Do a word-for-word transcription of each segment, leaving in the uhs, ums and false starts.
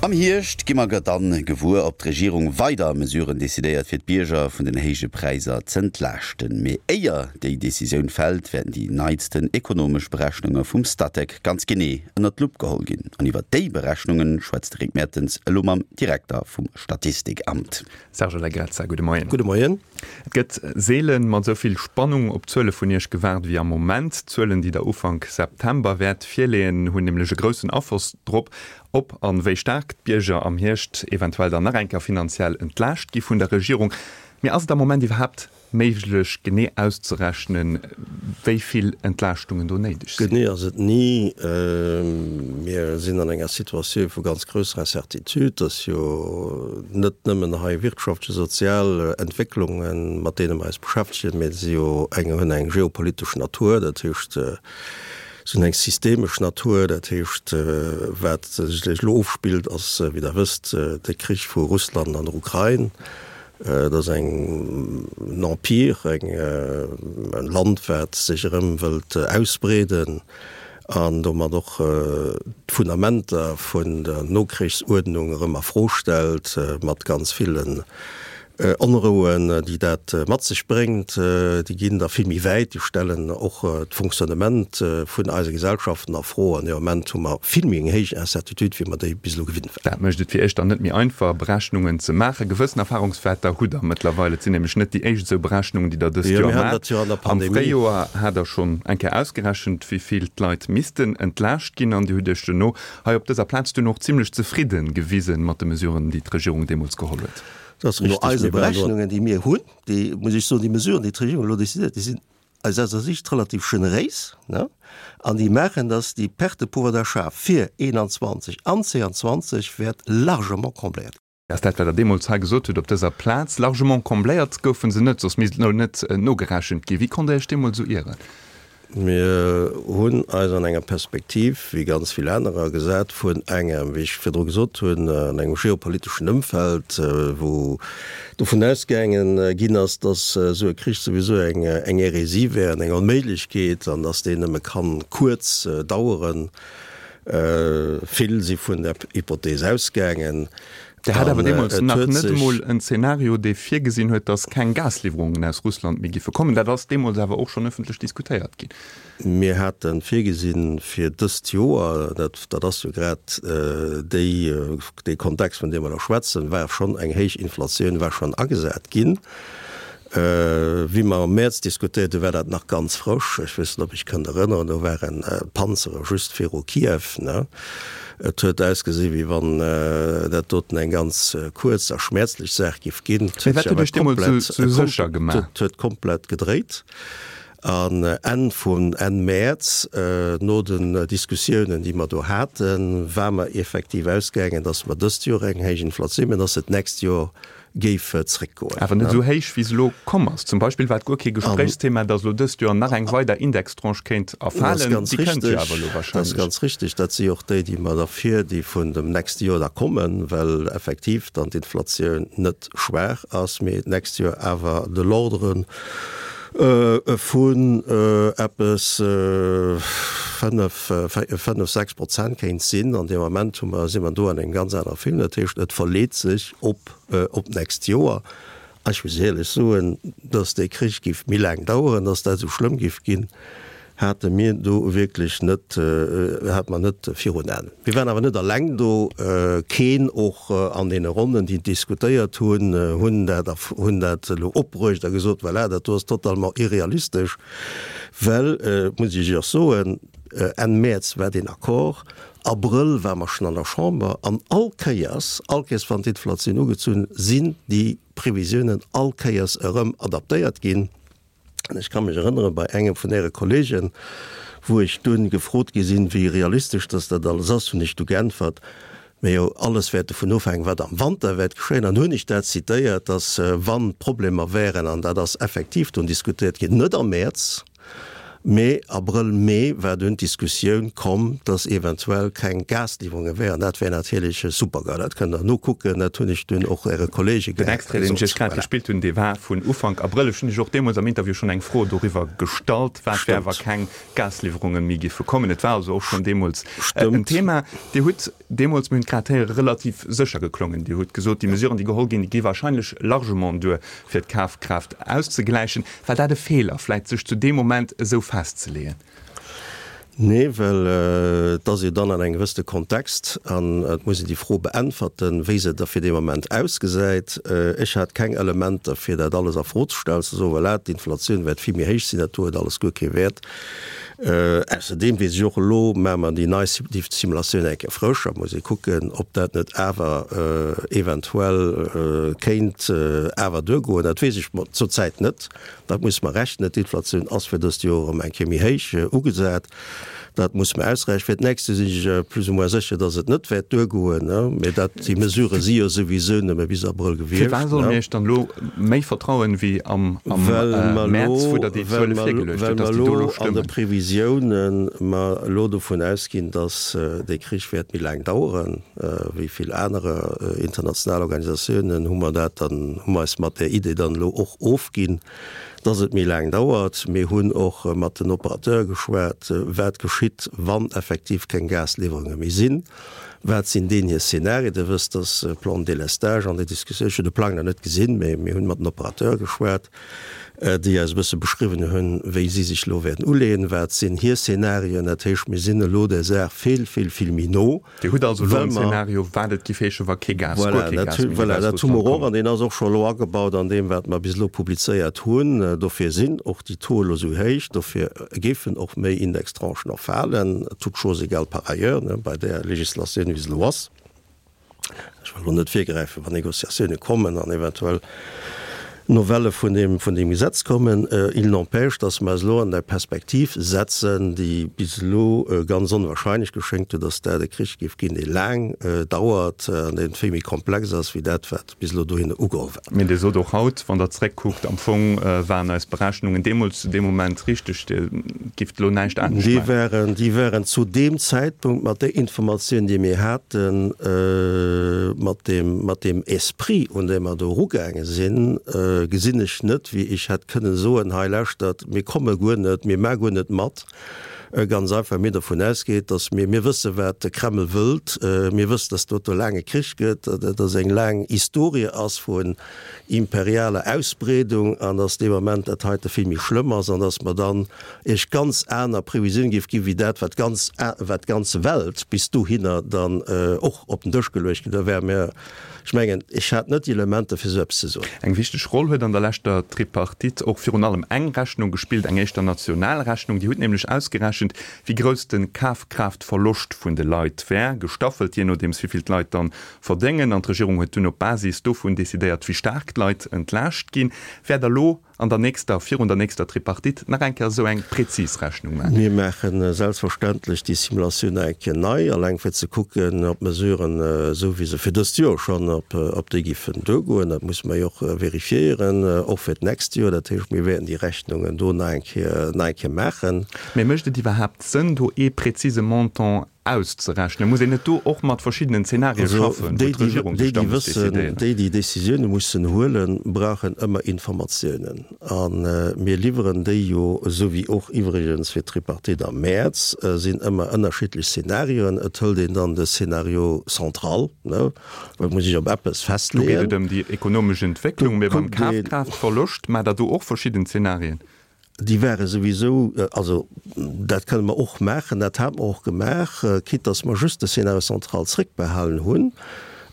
Am Hierscht gi mer dann gewuer, ob d'Regierung weider Mesuren decidéiert, fir d'Bierger vun den héije Präisser z'entlaaschten. Mee éier déi Decisioun fält, wäerten déi neisten ekonomesch Berechnunge vum Statec ganz genee ënnert d'Lupp geholl ginn. An iwwer déi Berechnunge schwätzt de Rick Mertens elo mam Direkter vum Statistikamt. Serge Lagrezza, gudde Moien. Gudde Moien. Et gëtt seelen mat esou vill Spannung op d'Zuele vun Iech gewaart wéi am Moment. D'Zuelen, déi Der Ufank September wäert virleeën, hunn nämlech e groussen Afloss drop, ob an wéi staark d'Bierger am Hierscht eventuell dann nach eng Kéier finanziell entlaascht gi vun der Regierung. Mee ass et am Moment iwwerhaapt méiglech, genee auszerechnen, wéi vill Entlaaschtungen do néideg sinn? Genee ass et ni. Mir sinn an enger Situatioun vu ganz grousser Incertitude. Et ass jo net nëmmen hei wirtschaftlech, sozial Entwécklungen, mat deene mer eis beschäftegen, mee si jo eng, hunn eng geopolitesch Natur. Dat heescht, Se hunn eng systemesch Natur, dat heescht, wat sech elo ofspillt, ass, wéi Der wësst, de Krich vu Russland an der Ukrain. Et ass eng en Empire, eng e Land, wat sech erëm wëllt ausbreeden an domat och d'Fundamenter vun der Nokrichsuerdnung erëm a Fro stellt, mat ganz villen Onrouen, déi dat mat sech bréngt, déi ginn da vill méi wäit, déi stellen och d'Fonctionnement vun eise Gesellschaften a Fro. An dee Moment hu mer vill méi eng héich Incertitude, wéi mer déi bis elo gewinnt waren. Dat mécht et fir Iech dann net méi einfach, Berechnungen ze maachen. Gewëssen Erfahrungswäerter hutt Der mëttlerweil. Et sinn nämlech net déi éischt esou Berechnungen, déi Der dëst Joer maacht. Am Fréijoer hat Der schonn eng Kéier ausgerechent, wéi vill d'Leit missten entlaascht ginn. An Dir hutt Iech duerno hei op dëser Plaz dunn och zimlech zefridde gewisen mat de Mesuren, déi d'Regierung deemools geholl huet. Dat ass richtig. No eise Berechnungen, déi mir hunn, déi, muss ech soen, déi Mesuren, déi d'Regierung elo décidéiert, déi sinn aus eiser Sicht relativ generéis, ne, an déi maachen, dass déi Perte de pouvoir d'achat fir eenanzwanzeg an zweeanzwanzeg wäert largement combléiert ginn. Ass dat, wat Der deemools hei gesot hutt op dëser Plaz. Largement combléiert goufe se net, soss misst elo net nogerechent ginn. Wéi konnt Der Iech deemools esou ieren? Mir hunn eis an enger Perspektiv, wéi ganz vill anerer, gesat vun engem, wéi ech virdru gesot hunn, an engem geopoliteschen Ëmfeld, wou dovun ausgaange ginn ass, datt esou e Krich souwisou eng Hérésie wär an eng Onméiglechkeet an datt deen nëmme ka kuerz daueren. Vill si vun där Hypothees ausgaangen. Der hat awer deemools nach net emol en Zeenario, dee virgesinn huet, datt keng Gasliwwerungen aus Russland méi giffe kommen. Dat ass deemools awer och schonn ëffentlech diskutéiert ginn. Mir hate virgesinn fir dëst Joer, dat, dat ass jo grad déi, dee Kontext, vun deem mer elo schwätzen, war schonn eng héich Inflatioun war schonn agesat ginn. Wéi mer am Mäerz diskutéiert hunn, war dat nach ganz frësch. Ech weess net, ob ech kënnt erënneren, do waren d'Panzere just viru Kiew. Et huet ausgesi wéi wann dat doten eng ganz kuerz a schmäerzlech Saach giff ginn. Mee wat huet Iech deemools esou sécher gemaach? Et huet komplett gedréit. An Enn vun Enn Mäerz, no den Diskussiounen, déi mer do haten, war mer effektiv ausgaangen, datt mer dëst Joer eng héich Inflatioun, mä datt se d'nächst Joer géif zréckgoen. Awer net esou héich, wéi se elo komm ass. Zum Beispill war et guer kee Gespréichsthema, datt elo dëst Joer nach eng weider Indextranche kéint erfalen. Déi kënnt jo awer elo wahrscheinlech. Dat ass ganz richtig. Dat si och déi, déi mer da vir, déi vun dem nächste Joer da kommen, well effektiv dann d'Inflatioun net schwaach ass, mee d'nächst Joer awer de l'ordre vun eppes fënnef, fënnef, sechs Prozent kéint sinn. An deem Ament hu mer, si mer do an engem ganz anere Film. Dat heescht, et verleet sech op, op d'nächst Joer. A ech muss éierlech soen, dass dee Krich géif méi laang daueren, dass dat esou schlëmm géif ginn, hate mir do wierklech net, hate mer net virun Aen. Mir waren awer net eleng do, keen och an deene Ronnen, déi diskutéiert hunn, hunn dat, hunn dat elo opbruecht a gesot, voilà, dat do ass totalement irrealistesch, well, muss ech Iech och soen, Enn Mäerz war deen Accord, Abrëll ware mer schonn an der Chamber an all Kéiers, all Kéiers wann d'Inflatioun ugezunn, sinn déi Previsiounen all Kéiers erëm adaptéiert ginn. An ech ka mech erënnere bei engem vun Äre Kollegen, wou ech dunn gefrot gi sinn, wéi realistesch dass dat alles ass, hunn ech du geäntwert, Majo, alles wäert dovun ofhänken, wat am Wanter wäert geschéien. An hunn ech dat zitéiert, dass wann Problemer wären, an dat ass effektiv dunn diskutéiert ginn, net am Mäerz, Mee Abrëll, Mee war dunn d'Diskussioun komm, dass eventuell keng Gasliwwerunge wären. Dat wär natierlech e Supergau. Dat kënnt Der nokucken. Dat hunn ech dunn och Äre Kollege Den Extrait, deen ech Iech grad gesot. gespillt hunn, dee war vun Ufank Abrëll. Ech hunn Iech och deemools am Interview schonn eng Fro doriwwer gestallt, wat wär, wa Stëmmt. keng Gasliwwerunge méi géife kommen. Et war also och schonn deemools en Stëmmt. Thema. Dir hutt deemools, mir hunn et grad héieren, relativ sécher geklongen. Dir hutt gesot, déi Mesuren, déi geholl ginn, déi gi wahrscheinlech largement duer, fir d'Kafkraaft auszegläichen. War dat e Feeler, vläicht sech zu deem Moment esou festzeleeën? Nee, well et ass jo dann an engem gewëssene Kontext an et muss een déi Fro beäntwerten, wéi se da fir dee Moment ausgesäit. Ech hat keng Elementer, fir dat alles a Fro ze stellen, ze soen, voilà, d'Inflatioun wäert vill méi héich sinn, dat do huet alles guer kee Wäert. Ausserdeem weess ech och, elo maache mer déi nei Simulatioun eng Kéier frësch, da muss ee kucken, ob dat net awer eventuell kéint awer duergoen. Dat weess ech zurzäit net. Dat muss mer rechnen. D'Inflatioun ass fir dëst Joer erëm eng Kéier méi héich ugesat. Dat muss mer ausrechnen. Fir d'nächst Joer sinn ech plus ou moins sécher, dass et net wäert duergoen. Mä dat, déi Mesurë si jo souwisou nëmme bis Abrëll gewiescht. Firwat solle mir Iech dann elo méi vertrauen wéi am Mäerz, wou Der déi Zuele virgeluecht hutt, dass déi do elo Well mer elo an de stëmmen? Previsiounen mer elo dovun ausginn, dass dee Krich wäert méi laang daueren wéi vill aner international Organisatiounen, hu mer dat dann, hu mer eis mat där Idee dann elo och ofginn, dass et méi laang dauert. Mir hunn och mat den Operateure geschwat, wat geschitt, wann effektiv keng Gasliwwerunge méi sinn. Wat sinn deenen hir Szenarien? Dir wësst, dass e Plan de délestage an der Diskussioun, ech hunn de Plang nach net gesinn, mä mir hunn mat den Operateure geschwat, déi eis e bësse beschriwwen hunn, wéi si sech elo wäerten uleeën, wat sinn hir Szenarien. Dat heescht, mir sinn elo der Saach vill, vill, vill méi no. Dir hutt also elo Well en mer. Zeenario, wat et géif heeschen, wa kee Gas, guer Voilà, kee dat Gas hu, méi géif voilà, aus dat hu mer Russland och, kommen. an deen ass och scho elo agebaut an deem, wat mer bis elo publizéiert hunn. Dofir sinn och déi Taux elo esou héich, dofir géifen och méi Indextranchen och falen, toutes choses égales par ailleurs, ne, bei där Législatioun, wéi se elo ass. Ech wëll elo net virgräifen, wann Négociatioune kommen an eventuell Novelle vun deem, vun deem Gesetz kommen. Il n'empêche, dass mer eis elo an eng Perspektiv setzen, déi bis elo ganz onwahrscheinlech geschéngt huet, dass dat e Krich géif ginn, dee laang dauert an dee vill méi komplex ass wéi dat, wat bis elo dohinner ugeholl war. Mee Dir sot och haut, wann Der zréckkuckt, am Fong waren eis Berechnungen deemools zu deem Moment richteg, Dir gifft elo näischt anescht Déi maachen. waren, déi waren zu deem Zäitpunkt mat där Informatioun, déi mir haten, mat deem, mat deem Esprit, un dee mer do erugaange sinn, gesinn ech net, wéi ech hätt kënnen soen, hei lauschtert, mir komme guer net, mir maache guer net mat. Ganz einfach, well mir dovun ausgeet, datt mir, mir wësse wat de Kreml wëllt, mir wëssen, datt do e laange Krich gëtt, datt dat eng laang Historie ass vun imperialer Ausbreedung an datt dee Moment dat heite vill méi schlëmm ass an datt mer dann Iech ganz aner Previsioune géif ginn, wéi dat, wat d'ganz, wat d'ganz Welt bis dohinner dann och op den Dësch geluecht ginn. Da wäre mir Ech mengen, ech hat net déi Elementer, fir esou eppes ze soen. Eng wichteg Roll huet an der leschter Tripartite och virun allem eng Rechnung gespillt, eng éischter national Rechnung. Déi huet nämlech ausgerechent, wéi grouss de Kafkraaftverloscht vun de Leit wär, gestaffelt jee nodeems wéi vill d'Leit dann verdéngen. An d'Regierung huet dunn op Basis dovun decidéiert, wéi staark d'Leit entlaascht ginn. Wäert Der elo an der nächster, virun der nächster Tripartite nach eng Kéier esou eng präzis Rechnung maachen? Mir maache selbstverständlech déi Simulatioun nach eng Kéier nei, alleng fir ze kucken, ob d'Mesuren, esou wéi se fir dëst Joer schonn, ob, ob déi géifen duergoen. Dat musse mer jo och vérifiéieren, och fir d'nächst Joer. Dat heescht, mir wäerten déi Rechnungen do nach eng Kéier, nach eng Kéier maachen. Mee mécht et iwwerhaapt Sënn, do ee präzise Montant auszerechnen? Muss een net do och mat verschiddenen Zenarie schaffen, wou d'Regierung sech da muss decidéieren? Déi, déi Décisioune mussen huelen, brauchen ëmmer Informatiounen. A mir liwweren déi jo, esou wéi och iwwregens fir d'Tripartite am Mäerz, sinn ëmmer ënnerschiddlech Zenarioen. Et hëlt een dann de Scénario central, well et muss sech op eppes Do geet festleeën. et ëm déi ekonomesch Entwécklung, mee beim Kafkraaftverloscht maacht Der do och verschidden Zenarien? Déi ware souwisou, also dat kënne mer och maachen, dat hate mer och gemaach, quitte dass mer just de Scénario central zréckbehalen hunn,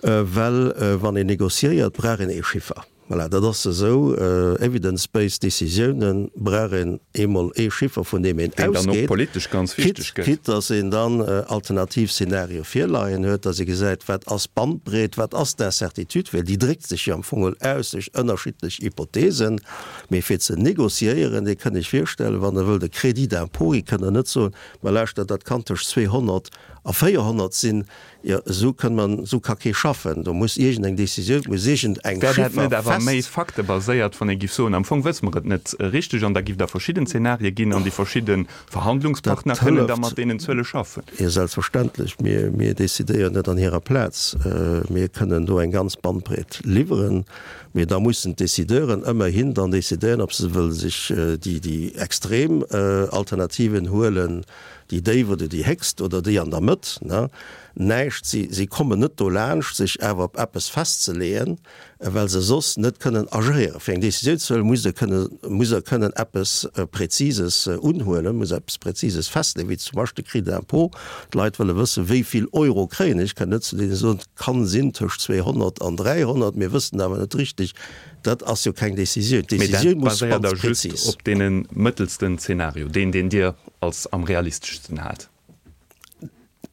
well wann een négociéiert, brauch een ee Chiffer. Voilà, dat ass esou, evidence-based Décisiounen brauch een eemol ee Chiffer, vun deem een Deen dann och ausgeet, politesch ganz wichteg quitte, gëtt. quitte dass een dann alternativ Szenarioe virleien huet, dass ee gesäit, wat ass d'Bandbreet, wat ass d'Incertitude, well déi dréckt sech jo am Fong aus duerch ënnerschiddlech Hypothesen. Mee fir ze négociéieren, Dir kënnt Iech virstellen, wann Der wëllt e Crédit d'impôt gi, kënnt Der net soen, Ma lauschtert, dat kann tëscht zweehonnert a véierhonnert sinn. Jo, esou kënn man, esou ka kee schaffen. Do muss iergendeng Décisioun, muss iergendeng Wär dat Chiffer net awer awer méi faktebaséiert, wann ee giff soen, am Fong wësse mer et net richteg an da giff et da verschidden Zenarie ginn an déi verschidde Verhandlungspartner kënnen da mat deenen Zuele schaffen. Jo, selbstverständlech. Mir, mir decidéieren net an hirer Plaz. Mir kënnen do eng ganz Bandbreet liwweren, mee da mussen d'Decideuren ëmmerhin dann decidéieren, ob se wëlle sech déi, déi extrem Alternativen huelen, déi déif oder déi héchst oder déi an der Mëtt. Näischt, si, si kommen net dolaanscht, sech awer op eppes festzeleeën, well se soss net kënnen agéieren. Fir eng Décisioun ze huelen, musst Der kënnen, musst Der kënnen eppes Präzises unhuelen, musst eppes Präzises festleeën, wéi zum Beispill de Crédit d'impôt. D'Leit wëlle wëssen, wéi vill Euro kréien ech. Ech kann net zu deene soen, et kann sinn tëscht zweehonnert an dräihonnert, mir wëssen awer net richtig. Dat ass jo keng Décisioun. Mee dat D'Décisioun muss baséiert ganz da just präzis. op deene mëttelsten Zeenario, deen, deen Dir als am realisteschsten haalt.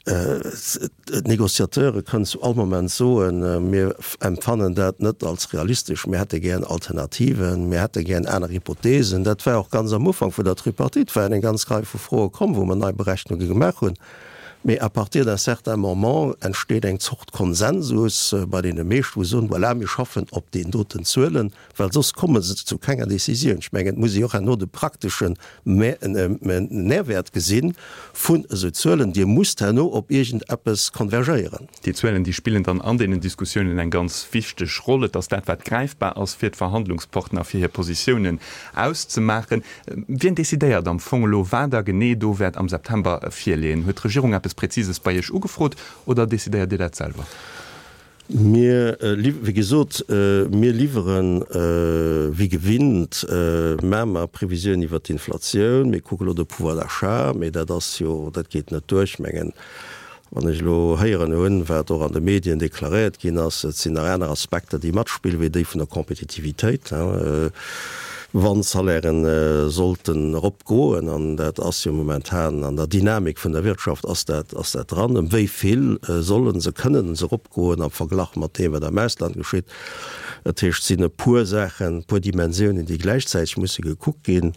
D'Négociateure kënnen zu all Moment soen, mir empfannen dat net als realistesch, mir hätte gären Alternativen, mir hätte gären aner Hypothesen. Dat war och ganz am Ufank vun der Tripartite, waren eng ganz Rei vu Froe komm, wou mer nei Berechnunge gemaach hunn. Mee à partir d'un certain moment entsteet eng Zort Konsensus bei deene meeschten, wou se soen, voilà, mir schaffen op deenen doten Zuelen, well soss komme se zu kenger Décisioun. Ech mengen, et muss ee och herno de prakteschen Nährwert gesi vun esou Zuelen. Dir musst herno op iergendeppes konvergéieren. Déi Zuelen, déi spillen dann an deenen Diskussiounen eng ganz wichteg Roll. Et ass dat, wat gräifbar ass fir d'Verhandlungspartner, fir hir Positiounen auszemaachen. Wien decidéiert am Fong elo, wat Der genee do wäert am September virleeën? Huet d'Regierung eppes Präzises bei Iech ugefrot oder decidéiert Dir dat selwer? Mir, wéi gesot, mir liwweren wéi gewinnt maache mer Previsioun iwwert d'Inflatioun. Mir kucke lo de Pouvoir d'achat, mee dat ass jo, dat geet net duer. Ech mengen, wann ech elo héieren hunn, wat och an de Medien deklaréiert ginn ass, et sinn nach aner Aspekter, déi matspillen, wéi déi vun der Kompetitivitéit, wann d'Salairen sollten eropgoen, an dat ass jo momentan an der Dynamik vun der Wirtschaft ass dat, ass dat dran, ëm wéi vill solle se, kënnen se eropgoen am Verglach mat deem, wat am Ausland geschitt. Dat heescht, et sinn e puer Saachen, e puer Dimensiounen, déi gläichzäiteg musse gekuckt ginn.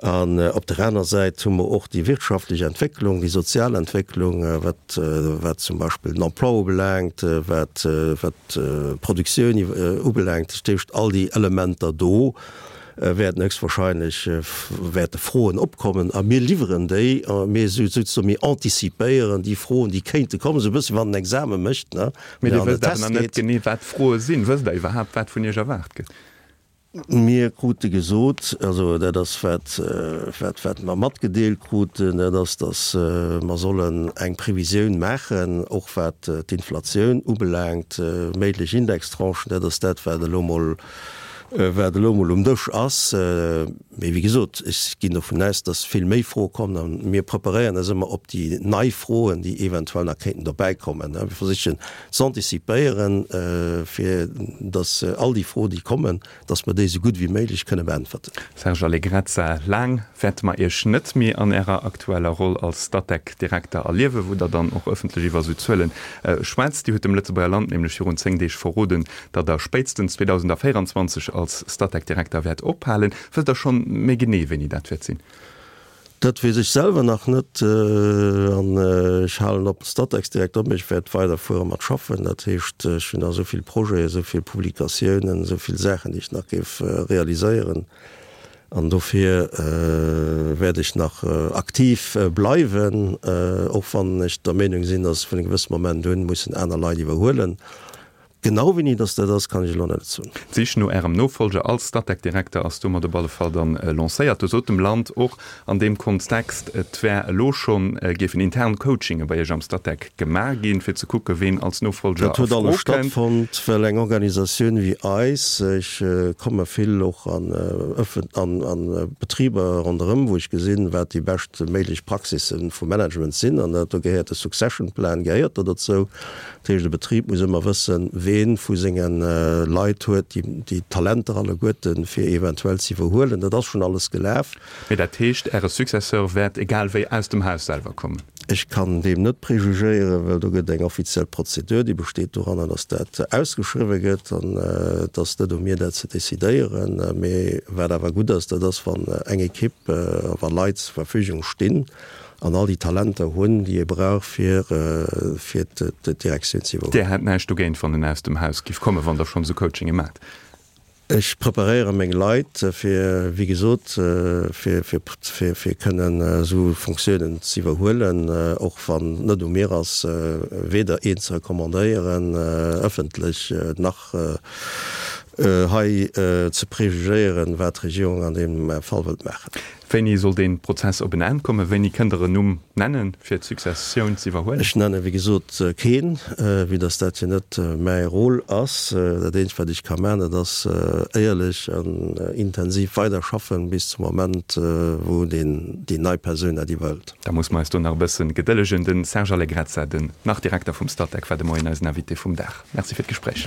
An op der aner Säit hu mer och déi wirtschaftlech Entwécklung, déi sozial Entwécklung, wat, wat zum Beispill den Emploi ubelaangt, wat, wat d'Produktioun ubelaangt. Dat heescht, all déi Elementer do wäerten héchstwahrscheinlech, wäerte Froen opkommen a mir liwweren déi. A mir souzesoen, mir antizipéieren déi Froen, déi kéinte kommen, esou e bësse wéi wann een Exame mécht, ne, Mee Dir wësst awer nach net genee, wat d'Froe sinn. Wësst Der iwwerhaapt, wat vun Iech erwaart gëtt? Mir krute gesot, also dat ass wat, wat, wat mer matgedeelt kruten, dat ass, datt mer sollen eng Previsioun maachen, och wat d'Inflatioun ubelaangt, méiglech Indextranchen. Dat ass dat, wat elo mol, wat elo mol um Dësch ass. Mee wéi gesot, ech ginn dovun aus, datt vill méi Froe kommen a mir preparéieren eis ëmmer op déi nei Froen, déi eventuell nach kéinten dobäikommen. Mir versichen z'anticipéieren, fir datt all déi Froen, déi kommen, dass mer déi esou gutt wéi méiglech kënne beäntwerten. Serge Allegrezza, Laang wäerte mer Iech net méi an Ärer aktueller Roll als Statec-Direkter erliewen, wou Der dann och ëffentlech iwwer esou Zuele schwätzt. Dir hutt dem Lëtzebuerger Land nämlech virun zéng Deeg verroden, datt Der spéitstens zweedausendvéierundzwanzeg als Statec-Direkter wäert ophalen. Wësst Der schonn méi genee, wéini dat wäert sinn? Dat weess ech selwer nach net. An ech halen op Statec-Direkter op, mee ech wäert weiderfuere mat schaffen. Dat heescht, ech hunn nach esou vill Projeten, esou vill Publikatiounen, esou vill Saachen, déi ech nach géif realiséieren. An dofir wäert ech nach aktiv bleiwen, och wann ech der Meenung sinn, datt vun engem gewësse Moment un mussen aner Leit iwwerhuelen. Genau wéini dass dat ass, kann ech elo net soen. D'Sich no Ärem Nofolger als Statec-Direkter ass domat op alle Fall dann lancéiert. Do sot dem Land och an deem Kontext, et wär elo schonn, géifen intern Coachinge bei Iech am Statec gemaach ginn, fir ze kucke ween als Nofolger Dat a huet alles Fro kënnt. stattfonnt, well eng Organisatioun wéi eis, ech komme vill och an ëffent an an Betriber ronderëm, wou ech gesinn, wat déi bescht méiglech Praxisse vum Management sinn, an dat do gehéiert de Succession Plan gehéiert do dozou. Dat heescht, e Betrib muss ëmmer wëssen, ween vu senge Leit huet déi Talenter alleguerten, fir eventuell ze iwwerhuelen. Dat ass schonn alles gelaf. Mee dat heescht, Äre Successeur wäert egal wéi aus dem Haus selwer kommen? Ech kann deem net prejugéieren, well do gëtt eng offiziell Prozedur, déi besteet doranner, datt dat ausgeschriwwe gëtt. An et ass net u mir, dat ze decidéieren. Mee wat awer gutt ass, dat ass, wann eng Ekipp, wa Leit zur Verfügung stinn, An all déi Talenter hunn, déi ee brauch, fir fir d'Direktioun ze iwwerhuelen. Dir hätt näischt dogéint, wann en aus dem Haus giff kommen, wann Der schonn esou Coachinge maacht? Ech preparéiere meng Leit fir, wéi gesot, fir, fir, fir, fir kënnen esou Fonctiounen ze iwwerhuelen, och wann net u mir ass, weder een ze recommandéieren ëffentlech, nach hei ze prejugéieren, wat d'Regierung an deem Fall wëllt maachen. Wéini soll dee Prozess op en Enn kommen? Wéini kënnt Der en Numm nennen, fir d'Successioun z'iwwerhuelen? Ech nenne wéi gesot keen, vue dass dat jo net mäi Rôle ass. Dat eenzegt, wat ech ka maachen, dat ass éierlech an intensiv weiderschaffen bis zum Moment, wou déi nei Persoun dat iwwerhëlt. Da musse mer eis do nach e bësse gedëllegen. De Serge Allegrezza, den Nach-Direkter vum Statec, war de Moien eisen Invité vum Dag. Merci fir d'Gespréich.